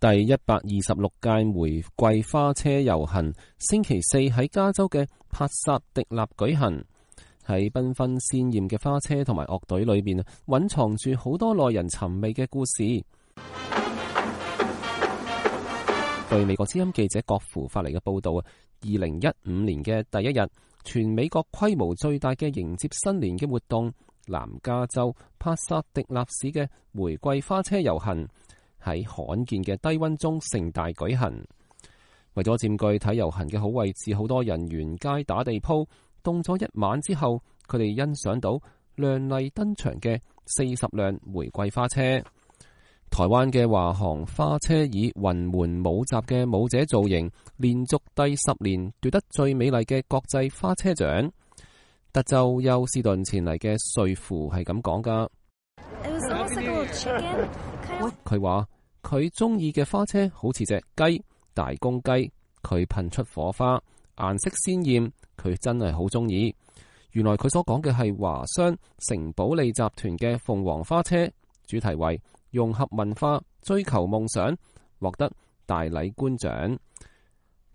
第126屆玫瑰花車遊行星期四喺加州嘅帕薩迪納舉行。喺繽紛鮮豔嘅花車同埋樂隊裏面，蘊藏住好多耐人尋味嘅故事。據美國之音記者郭芙發嚟嘅報道，2015年嘅第一日，全美國規模最大嘅迎接新年嘅活動——南加州帕薩迪納市嘅玫瑰花車遊行，喺罕見嘅低溫中盛大舉行。為咗佔據睇遊行嘅好位置，好多人沿街打地鋪，凍咗一晚之後，佢哋欣賞到亮麗登場嘅40輛玫瑰花車。台灣嘅華航花車以雲門舞集嘅舞者造型，連續第10年奪得最美麗嘅國際花車獎。德州休斯頓前嚟嘅瑞芙係咁講噶。佢話佢中意嘅花車好似隻雞，大公雞，佢噴出火花，顏色鮮艷，佢真係好中意。原來佢所講嘅係華商城堡利集團嘅鳳凰花車，主題為融合文化，追求夢想，獲得大禮官獎。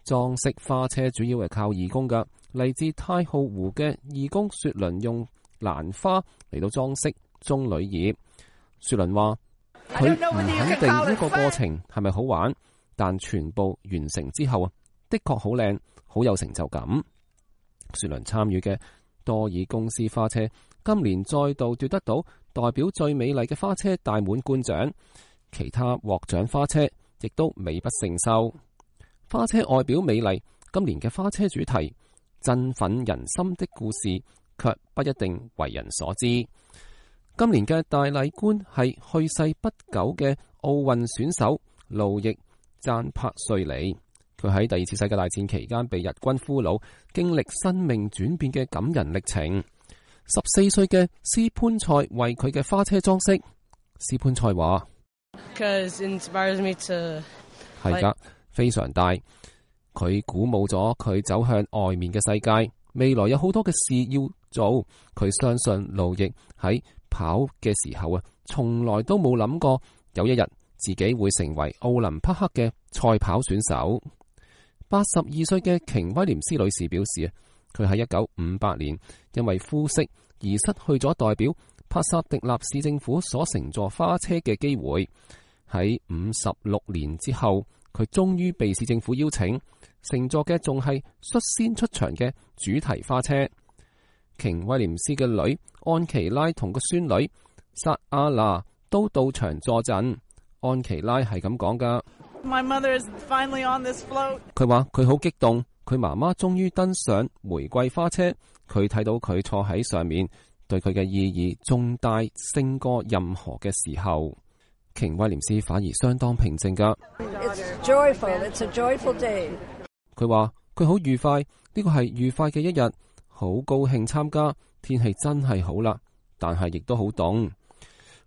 裝飾花車主要係靠義工噶，嚟自太浩湖嘅義工雪倫用蘭花嚟到裝飾棕櫚葉。雪倫話佢唔肯定呢個過程係咪好玩，但全部完成之後的確好靚，好有成就感。雪倫參與嘅多爾公司花車今年再度奪得到代表最美麗嘅花車大滿貫獎，其他獲獎花車亦都美不勝收。花車外表美麗，今年嘅花車主題振奮人心的故事卻不一定為人所知。今年嘅大禮官係去世不久嘅奧運選手路易贊柏瑞里，佢喺第2次世界大戰期間被日軍俘虜，經歷生命轉變嘅感人歷程。14歲嘅斯潘塞為佢嘅花車裝飾。斯潘塞話：係噶，非常大。佢鼓舞咗佢走向外面嘅世界，未來有好多嘅事要做。佢相信路易喺跑嘅時候從來都冇諗過有一日自己會成為奧林匹克嘅賽跑選手。82歲嘅瓊威廉斯女士表示，佢喺1958年因為膚色而失去咗代表帕薩迪納市政府所乘坐花車嘅機會。喺56年之後，佢終於被市政府邀請，乘坐嘅仲係率先出場嘅主題花車。瓊威廉斯嘅女安琪拉同個孫女薩阿娜都到場助陣。安琪拉係咁講噶，佢話佢好激動，佢媽媽終於登上玫瑰花車，佢睇到佢坐喺上面，對佢嘅意義重大勝過任何嘅時候。瓊威廉斯反而相當平靜噶。佢話佢好愉快，呢個係愉快嘅一日，好高興參加。天氣真係好啦，但係亦都好凍。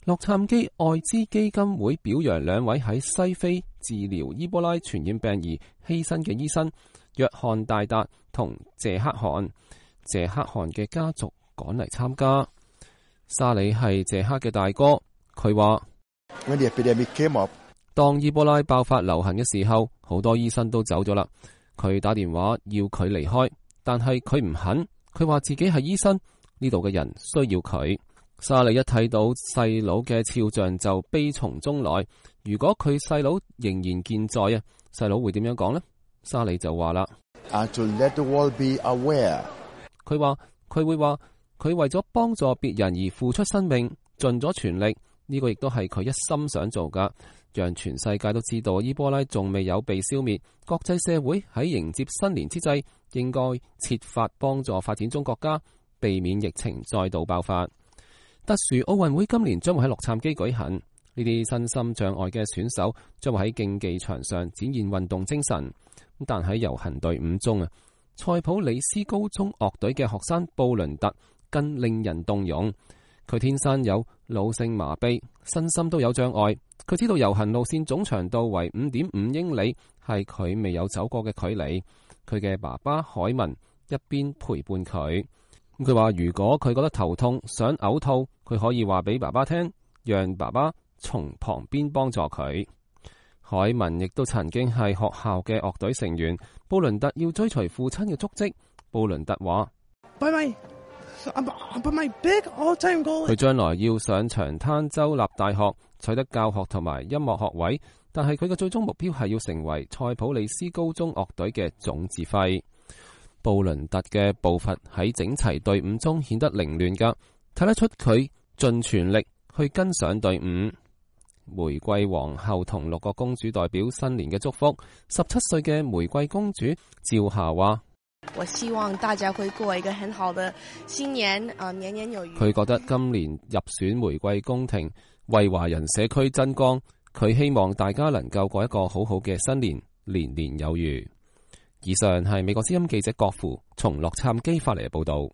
洛杉磯愛滋基金會表揚2位喺西非治療伊波拉傳染病而犧牲嘅醫生約翰大達同謝克汗。謝克汗嘅家族趕嚟參加。沙里係謝克嘅大哥，佢話當伊波拉爆發流行嘅時候，好多醫生都走咗啦。佢打電話要佢離開，但係佢唔肯。佢話自己係醫生，呢度嘅人需要佢。沙利一睇到細佬嘅肖像就悲從中來。如果佢細佬仍然健在細佬會點樣講呢？沙利就話啦，佢話佢會話佢為咗幫助別人而付出生命，盡咗全力。呢個亦都係佢一心想做噶，讓全世界都知道伊波拉仲未有被消滅。國際社會喺迎接新年之際，應該設法幫助發展中國家，避免疫情再度爆發。特殊奧運會今年將會喺洛杉磯舉行，呢啲身心障礙嘅選手將會喺競技場上展現運動精神。但喺遊行隊伍中塞普里斯高中樂隊嘅學生布倫特更令人動容。佢天生有腦性麻痹，身心都有障礙。佢知道遊行路線總長度為5.5英里，係佢未有走過嘅距離。佢嘅爸爸海文一邊陪伴佢。佢話如果佢覺得頭痛想嘔吐，佢可以話俾爸爸聽，讓爸爸從旁邊幫助佢。凱文亦都曾經係學校嘅樂隊成員。布倫特要追隨父親嘅足跡。布倫特話：佢將來要上長灘州立大學，取得教學同埋音樂學位，但係佢嘅最終目標係要成為塞普里斯高中樂隊嘅總指揮。布倫特嘅步伐喺整齊隊伍中顯得凌亂㗎，睇得出佢盡全力去跟上隊伍。玫瑰皇后同6個公主代表新年嘅祝福。17歲嘅玫瑰公主趙夏話：我希望大家會過一個很好的新年，年年有餘。佢覺得今年入選玫瑰宮廷，為華人社區增光。佢希望大家能夠過一個好好嘅新年，年年有餘。以上係美國之音記者郭芙從洛杉磯發嚟嘅報道。